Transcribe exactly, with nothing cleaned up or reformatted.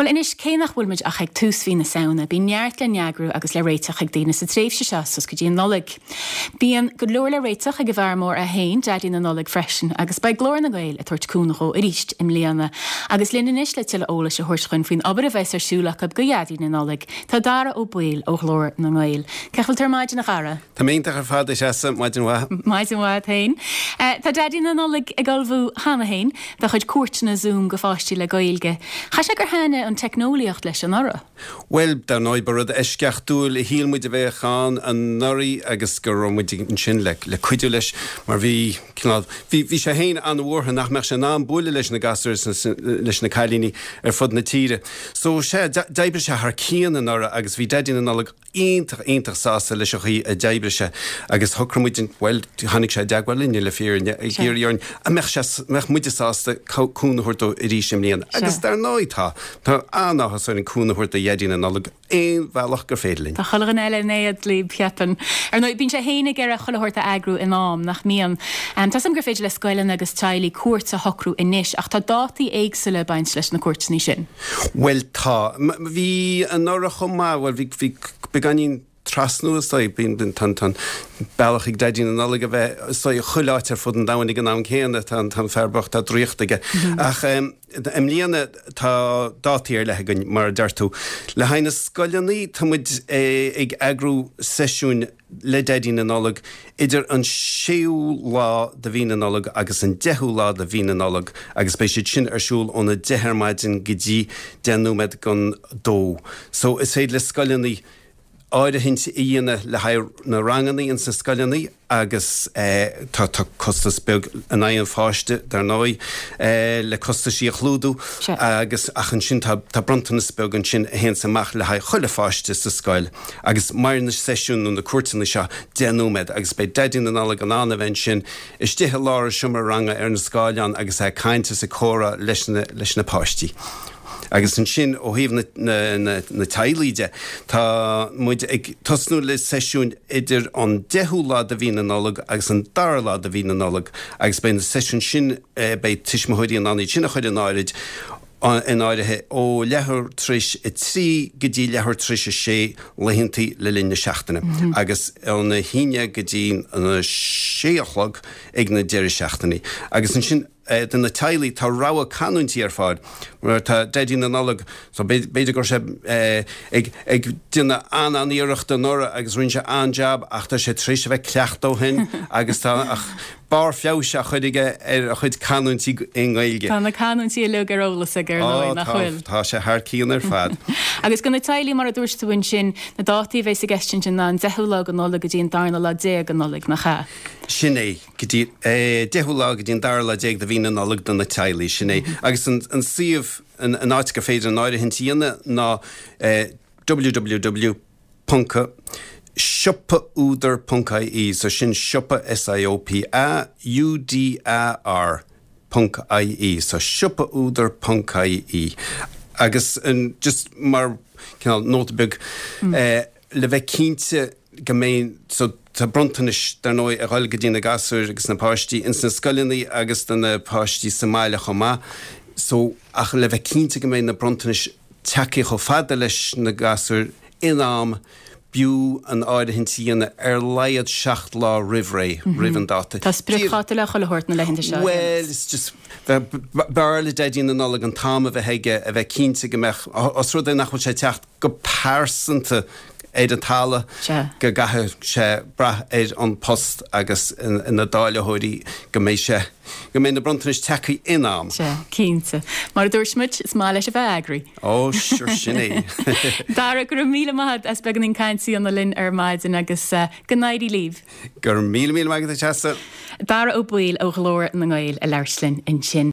Bhuel anois cé nach bhfuil muid ach ag tús mhí na Samhna, bíonn neart le n-eagrú agus le réiteach ag daoine sa tréimhse seo suas go dtí an Nollaig. Bíonn go leor le réiteach ag an bhfear mór é féin, Daidí na Nollag freisin, agus beidh Glór na nGael ag tabhairt cúnamh dó arís i mbliana. Agus linn anois le tuilleadh eolais a thabhairt dúinn faoin obair a bheas ar siúl acu do Dhaidí na Nollag, tá Dara Ó Baoill ó Ghlór na nGael. Cén chaoi a bhfuil tú ar maidin a Dhara? Tá mé iontach ar fad a Threasa, maidin mhaith. Maidin mhaith féin. Tá Daidí na Nollag ag ullmhú cheana féin dá chuid cuairteanna Zoom go pháistí le Gaeilge. Chaithfidh sé gur thaitnigh an teicneolaíocht leis anuraidh. Well, dar ndóigh ba rud eisceachtúil a shíl muid a bheadh ann anuraidh agus go raibh muid ansin le le cuidiú leis mar bhí cineál bhí bhí sé féin an-bhuartha nach mbeadh sé in ann bualadh leis na gasúir leis na cailíní ar fud na tíre. So sé d'oibrigh sé thar cionn anuraidh agus bhí Daidí na Nollag iontach iontach sásta leis an chaoi a d'oibrigh sé agus shocraigh muid well tháinig sé i dteagmháil linne le fírinne ag iarraidh orainn an mbeadh sé mbeadh muide sásta cúnamh a thabhairt dó arís i mbliana. Agus dar ndóigh tá tá an-áthas orainn cúnamh a thabhairt do Dhaidí na Nollag aon bhealach gur féidir linn. Tá chuile dhuine eile in éad libh cheapfainn. Ar ndóigh bíonn sé féin ag iarraidh chuile shórt a eagrú in am nach mbíonn. Um, Tá a fhios agam gur féidir le scoileanna agus teaghlaigh cuairt a shocrú anois ach tá dátaí éagsúla ag baint leis na cuairteanna sin. Well tá bhí anuraidh chomh maith well bhí bhí beagáinín trasnú is dóigh bíonn tá an bealach ag Daidí na Nollag a bheith is dóigh chuile áit ar fud an domhain ag an am céanna tá an fear bocht tá draíocht aige. Ach um, i mbliana tá dátaí ar leith againn mar a deir tú. Le haghaidh na scoileanna tá muid ag eagrú seisiúin le Daidí na Nollag idir an séú lá de mhí na Nollag agus an deichiú lá de mhí na Nollag agus beidh siad sin ar siúl óna deich ar maidin go dtí deich nóiméad don dó. So is féidir le scoileanna áirithint a dhéanamh le haghaidh na ranganna ins na scoileanna agus eh, tá tá costas beag in aghaidh an pháiste dar ndóigh eh, le costaisí a chlúdú agus ach ansin tá tá bronntanas beag ansin a théann amach le haghaidh chuile pháiste sa scoil agus mar na seisiún nó na cuairteanna seo deich nóiméad agus beidh Daidí na Nollag in ann a bheith ansin istigh i lár an seomra ranga ar na scáileán agus é caint is ag comhrá leis na leis na páistí. Agus ansin ó thaobh na, na, na, na teaghlaigh de tá muid ag tosnú le seisiúin idir an deichiú lá de mhí na Nollag agus an dara lá de mhí na Nollag agus beidh na seisiúin sin eh, beidh tuismitheoirí in ann iad sin a chur in áirithe in áirithe ó leathuair tar éis a trí go dtí leathuair tar éis a sé laethanta le linn na seachtaine mm -hmm. agus óna haon go dtí an sé a chlog ag na deireadh seachtainí. Agus ansin eh, do na teaghlaigh tá rogha canúintí ar fáil mar tá Daidí na Nollag so b'fhéidir go sé eh, ag ag déanamh an an-iarracht anuraidh agus rinne sé an-jab ach tá sé tar éis a bheith ag cleachtadh ó shin agus tá ach barr feabhais á chur aige ar a chuid canúintí i nGaeilge. Tá na canúintí uilig ar eolas aige ar ndóigh nach bhfuil. Tá sé thar cionn ar fad. Agus do na teaghlaigh mar a dúirt tú ansin na dátaí a bheas i gceist sin ná an deichiú lá de Nollaig go dtí an darna lá déag de Nollaig nach ea. Sin é go dtí eh, deichiú lá go dtí an dara lá déag de mhí na Nollag do na teaghlaigh sin é. Agus an, an suíomh an, an áit gur féidir an áirithint a dhéanamh ná eh, www. siopaúdar.ie so sin siopa SIOPA UDAR .ie so siopaúdar.ie agus an just mar cineál nóta beag mm. eh, le bheith cinnte go mbeidh so tá bronntanais dar ndóigh ag dul go dtí na gasúir agus na páistí ins na scoileanna agus do na páistí sa mbaile chomh maith so ach le bheith cinnte go mbeidh na bronntanais tagtha chomh fada leis na gasúir in am b'fhiú an áirithint a dhéanamh ar laghad seacht lá roimh ré roimh an dáta. Tá spriocdháta le chuile shórt na laethanta seo. Well, it's just b'fhearr le Daidí na Nollag an t-am a bheith aige a bheith cinnte go mbeadh os rud é nach bhfuil sé teacht go pearsanta ar an talamh go gcaithfidh sé brath ar an post agus na dáilitheoirí go mbeidh sé go mbeidh na bronntanais tagtha in am. Sea, cinnte. Mar a dúirt muid, is maith leis a bheith eagraithe. Ó sure sin é. Dara go raibh míle maith as beagáinín cainte a dhéanamh linn ar maidin agus uh, go n-éirí libh. Gur míle míle maith agat. Dara Ó Baoill ó Ghlór na nGael ag labhairt linn ansin.